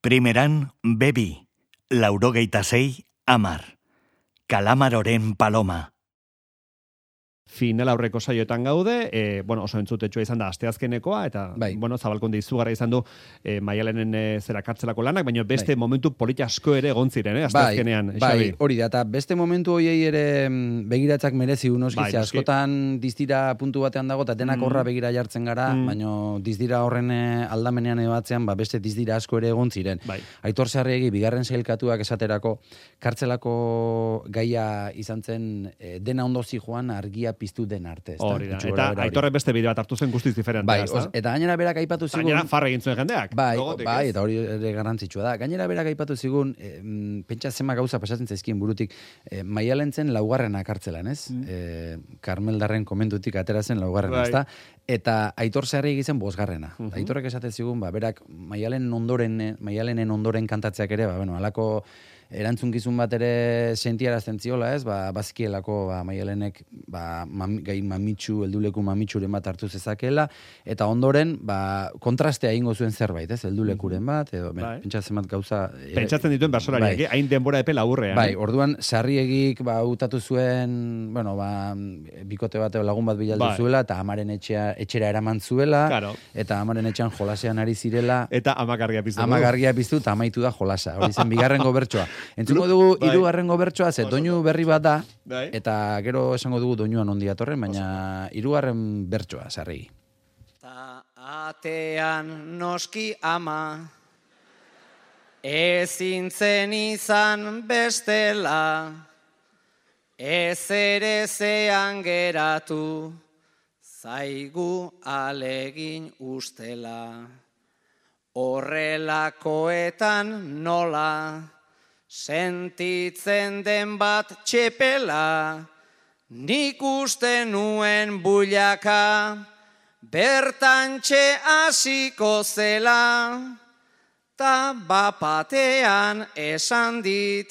Primeran, bebi, 86, 10. Kalamaroren paloma. Final aurreko saioetan gaude, oso entzutetsua izan da asteazkenekoa, eta, zabalkunde izugarra izan du Maialenen zera kartzelako lanak, baina beste momentu polita asko ere egon ziren, asteazkenean. Bai, hori da, eta beste momentu hoiei ere begiratzak merezi unoskiz, askotan dizdira puntu batean dago, eta denak horra begira jartzen gara, baina dizdira horren aldamenean ebatzean, beste dizdira asko ere egon ziren. Aitor Sarriegi, bigarren sailkatuak esaterako, kartzelako gaia izan zen dena ondo zijoan argia piztu den arte. Hori da, eta Aitorrek beste bideo bat hartu zen guztiz diferentea. Eta gainera berak aipatu zigun... Gainera farra egin zuen jendeak. Eta hori ere garrantzitsua da. Gainera berak aipatu zigun, pentsa zema gauza pasatzen zaizkien burutik, Maialen zen laugarrena kartzelan, ez? Karmeldarren komentutik atera zen laugarrena, ezta? Eta Aitor Sarriegi zen bosgarrena. Aitorrek esaten zigun, berak Maialenen ondoren kantatzeak ere, halako erantzunkizun bat ere sentiarazten ziola, ez? Bazkielako Maialenek gai mamitsu, helduleku mamitsuren bat hartu zezakela, eta ondoren kontrastea egingo zuen zerbait, ez? Heldulekuren bat, edo pentsatzen bat gauza... Pentsatzen dituen bersolariak, hain denbora epe laburrean. Orduan, Sarriegik utatu zuen, bikote bat lagun bat bilaldu zuela, eta amaren etxera eraman zuela, eta amaren etxean jolasean ari zirela... Eta amagargia piztu. Amagargia piztu, eta amaitu da jolasa. Hori zen, bigarrengo bertsoa. Entzuko dugu hirugarrengo bertsoa, ze doinu berri bat da, eta gero esango dugu doinuan ondi atorren, baina hirugarren bertsoa, Sarriegi. Ta atean noski ama, ezin zen izan bestela, ez ere zean geratu, zaigu alegin ustela. Horrelakoetan nola, sentitzen den bat txepela, nik uste nuen builaka, bertantxe hasiko zela, ta bapatean esan dit,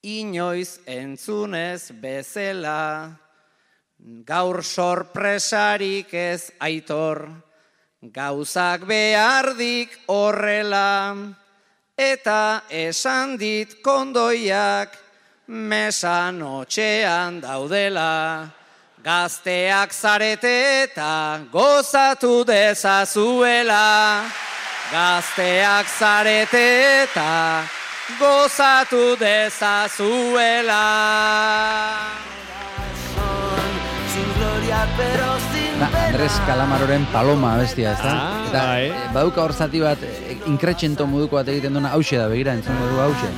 inoiz entzunez bezela, gaur sorpresarik ez Aitor, gauzak behardik horrela, eta esan dit kondoiak mesan otxean daudela. Gazteak zarete eta gozatu dezazuela. Gazteak zarete eta gozatu dezazuela. Andres Kalamaroren paloma bestia, ez da? Eta baduka hor zati bat, inkretxento moduko bat egiten duena, hauxe da, begira, entzungo du hauxe.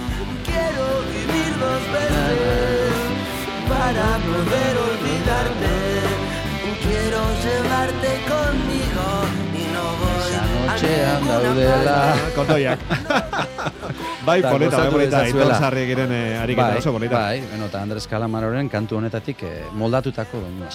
Quiero vivir 2 veces para poder olvidarte. Quiero llevarte conmigo y no voy a daudela. Kondoiak. Polita, Aitor Sarriegiren ariketa oso polita. Eta Andres Kalamaroren kantu honetatik moldatutako doinua.